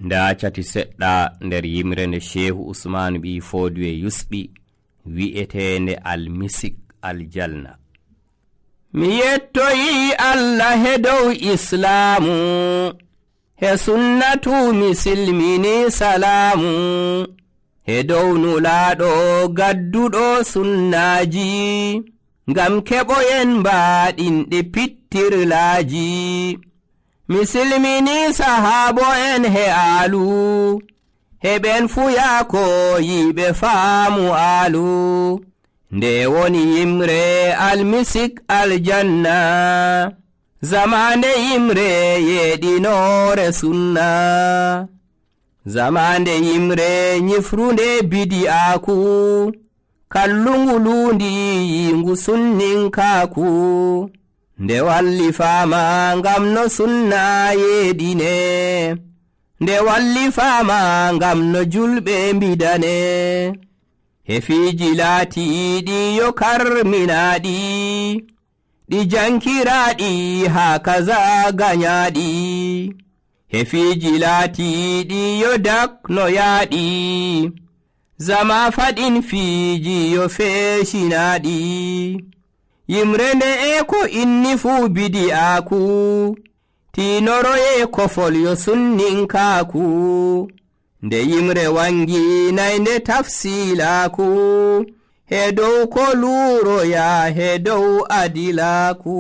nda cati seɗɗa nder yimre nde Shehu Usmanu ɓi Fodiwe yusɓi wi'etende almisik aljalna. Mi yettoyi Allah he dow islamu, he sunnatu mi silmini salamu, he dow nulaɗo gadduɗo sunnaji, ngam keɓoyen mbaɗinɗe pittirlaji. Mi silmini sahabo en he alu, heɓen fuyako yiɓe faamu alu, nde woni yimre almisik aljanna, zamande yimre yeɗinore sunna, zamande yimre nyifrunde bidi'aku, kallungu lundi yingu sunninkaku, nde walli fama ngam no sunna yeɗine, nde walli fama ngam no julɓe mbidane, hefiji laatiɗi yo karminaɗi, ɗi jankiraɗi ha kaza ganyaɗi, hefiji laatiɗi yo daknoyaɗi, zama faɗin fiji yo feeshinaɗi, yimre nde e ko inni fu bidi'aku, tinoroye kofol yo sunninkaku, nde yimre wangi naynde tafsilaku, he dow ko luuroya he dow adilaku.